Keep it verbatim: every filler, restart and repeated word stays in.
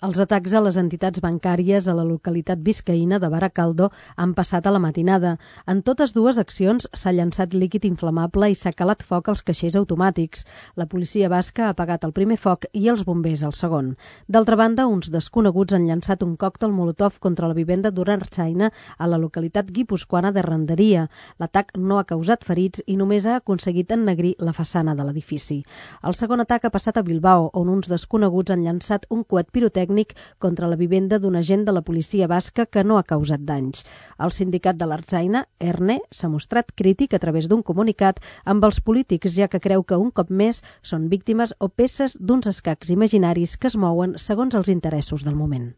Els atacs a les entitats bancàries a la localitat biscaïna de Baracaldo han passat a la matinada. En totes dues accions s'ha llançat líquid inflamable i s'ha calat foc als caixers automàtics. La policia basca ha apagat el primer foc i els bombers el segon. D'altra banda, uns desconeguts han llançat un còctel molotov contra la vivenda d'Urarchaina a la localitat guipuscoana de Renderia. L'atac no ha causat ferits i només ha aconseguit ennegrir la façana de l'edifici. El segon atac ha passat a Bilbao, on uns desconeguts han llançat un coet pirotècnic contra la vivenda d'un agent de la policia basca que no ha causat danys. El sindicat de l'Ertzaina, ERNE, s'ha mostrat crític a través d'un comunicat amb els polítics, ja que creu que un cop més són víctimes o peces d'uns escacs imaginaris que es mouen segons els interessos del moment.